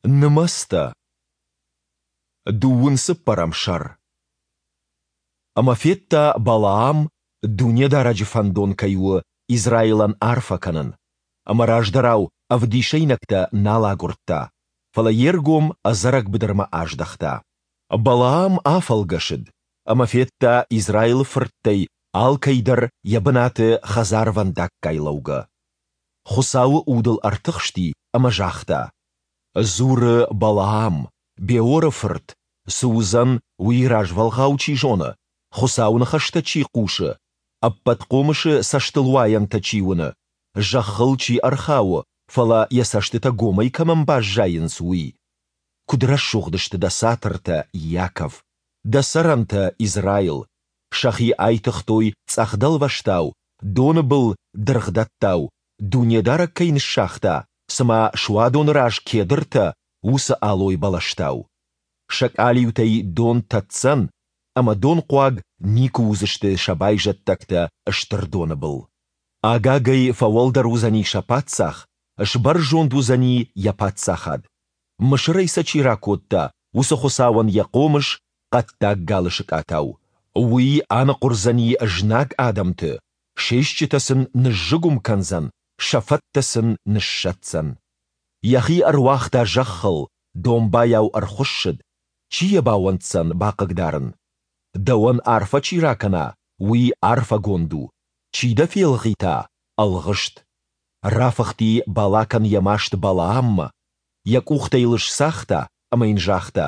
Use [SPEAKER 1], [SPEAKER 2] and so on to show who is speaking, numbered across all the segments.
[SPEAKER 1] Нымӕцтӕ. Дыууын цыппӕрӕм сӕр. Ӕмӕ федта Балаам, Дунедарӕджы фӕндон кӕй у Израилӕн арфӕ кӕнын. Ӕмӕ раздӕрау ӕвдисӕйнӕгтӕ нал агуырдта, фӕлӕ йе ргом ӕдзӕрӕг быдырмӕ аздӕхта. Балаам афӕлгӕсыд ӕмӕ федта Израилы фырттӕй алкӕй дӕр йӕ бынаты хӕдзарвӕндаггай лӕугӕ. Хуыцауы Уд ыл ӕртыхсти ӕмӕ загъта, Дзуры Балаам, Беоры фырт, цы уыдзӕн, уый развӕлгъау чи зоны, Хуыцауы ныхӕстӕ чи хъусы, Ӕппӕтхъомысы цӕстылуайӕнтӕ чи уыны, зӕххыл чи ӕрхауы, фӕлӕ йӕ цӕстытӕ гомӕй кӕмӕн баззайынц, уый. Куыд рӕсугъд сты дӕ цатыртӕ, Иаков, дӕ цӕрӕнтӕ, Израил! Сӕхи айтыгътой цъӕх дӕлвӕзтау, доны был дыргъдӕттау, Дунедарӕг кӕй ныссагъта, цыма суадоны раз кедртӕ, уыцы алой бӕлӕстау. Сӕ къалиутӕй дон тӕдздзӕн, ӕмӕ донхъуаг никуы уыдзысты сӕ байзӕддӕгтӕ стыр доны был. Агагӕй фӕуӕлдӕр уыдзӕни сӕ паддзах, сбӕрзонд уыдзӕни йӕ паддзахад. Мысырӕй сӕ чи ракодта, уыцы Хуыцауӕн йӕ хъомыс, хъӕддаг галы сыкъатау. Уый аныхъуырдзӕни знаг адӕмты, се стджытӕ сын ныззыгуым кӕндзӕн, сӕ фӕттӕ сын ныссӕтдзӕн. Йӕхи ӕруагъта зӕххыл, домбайау ӕрхуыссыд, чи йӕ бауӕнддзӕн бахъыгдарын? Дӕуӕн арфӕ чи ракӕна, уый арфӕгонд у, чи дӕ фелгъита, ӕлгъыст. Рафыхти Балакӕн йӕ маст Балааммӕ, йӕ къухтӕ йыл сцагъта ӕмӕ йын загъта,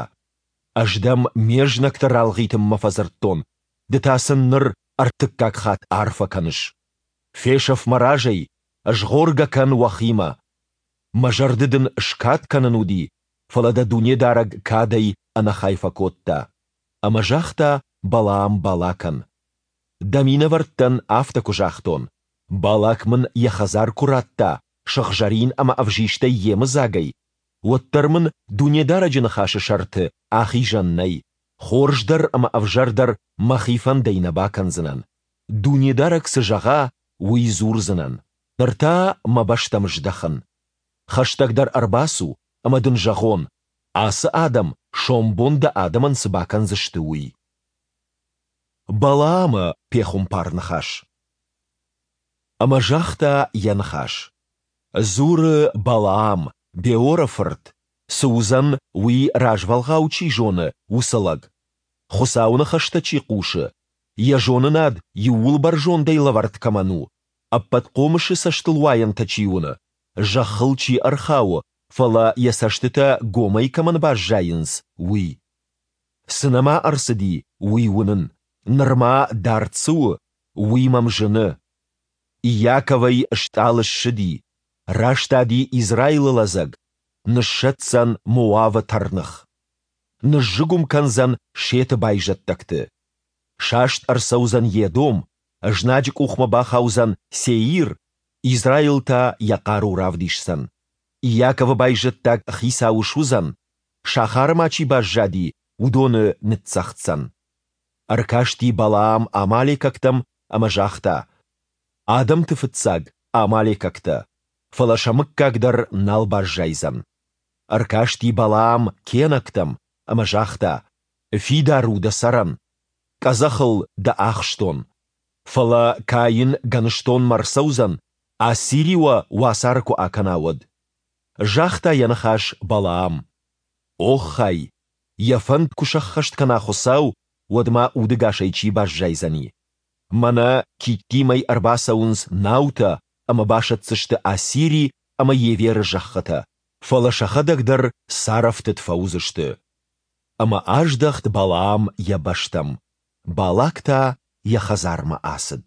[SPEAKER 1] Ӕз дӕм ме знӕгты ралгъитынмӕ фӕдзырдтон, ды та сын ныр ӕртыккаг хатт арфӕ кӕныс. Фесӕф мӕ разӕй, згъоргӕ кӕн уӕхимӕ. Мӕ зӕрды дын скад кӕнын уыди, фӕлӕ дӕ Дунедарӕг кадӕй ӕнӕхай фӕкодта. Ӕмӕ загъта Балаам Балакӕн, Дӕ минӕвӕрттӕн афтӕ куы загътон, Балак мын йӕ хӕдзар куы радта сыгъзӕрин ӕмӕ ӕвзистӕй йемыдзагӕй, уӕддӕр мын Дунедарӕджы ныхасы сӕрты ахизӕн нӕй, хорз дӕр ӕмӕ ӕвзӕр дӕр мӕхи фӕндӕй нӕ бакӕндзынӕн. Дунедарӕг цы зӕгъа, уый дзурдзынӕн. Ныр та мӕ бӕстӕм здӕхын. Хӕстӕгдӕр ӕрбацу, ӕмӕ дын зӕгъон, ацы адӕм сомбон дӕ адӕмӕн цы бакӕндзысты, уый. Балаамы пехуымпар-ныхас. Ӕмӕ загъта йӕ ныхас. Дзуры Балаам, Беоры фырт, цы уыдзӕн, уый развӕлгъау чи зоны, уыцы лӕг. Хуыцауы ныхӕстӕ чи хъусы, йӕ зонынад Иууылбӕрзондӕй лӕвӕрд кӕмӕн у, Ӕппӕтхъомысы цӕстылуайӕнтӕ чи уыны, зӕххыл чи ӕрхауы, фӕлӕ йӕ цӕстытӕ гомӕй кӕмӕн баззайынц, уый. Цы нӕма ӕрцыди, уый уынын, нырма дард цы у, уый мӕм зыны. Иаковӕй стъалы ссыди, растади Израилы лӕдзӕг, ныссӕтдзӕн Моавы тӕрных. Ныззыгуым кӕндзӕн Сеты байзӕддӕгты. Саст ӕрцӕудзӕн Едом, знаджы къухмӕ бахаудзӕн Сеир, Израил та йӕ хъару равдисдзӕн. Иаковы байзӕддаг хицау суыдзӕн, сахары ма чи баззади, уыдоны ныццӕгъддзӕн. Ӕркасти Балаам амалекӕгтӕм ӕмӕ загъта, Адӕмты фыццаг, амалекӕгтӕ, фӕлӕ сӕ мыггаг дӕр нал баззайдзӕн. Ӕркасти Балаам кенӕгтӕм ӕмӕ загъта, Фидар у дӕ цӕрӕн, къӕдзӕхыл дӕ ахстон. Фӕлӕ Каин гӕныстонмӕ рцӕудзӕн, Ассири уӕ уацары куы акӕна, уӕд. Загъта йӕ ныхас Балаам. Оххай, йӕ фӕнд куы сӕххӕст кӕна Хуыцау, уӕд ма удыгасӕй чи баззайдзӕни? Мӕнӕ Киттимӕй ӕрбацӕуынц наутӕ ӕмӕ басӕтдзысты Ассири ӕмӕ Еверы зӕххытӕ, фӕлӕ сӕхӕдӕг дӕр царӕфтыд фӕуыдзысты. Ӕмӕ аздӕхт Балаам йӕ бӕстӕм, Балак та йӕ хӕдзармӕ ацыд.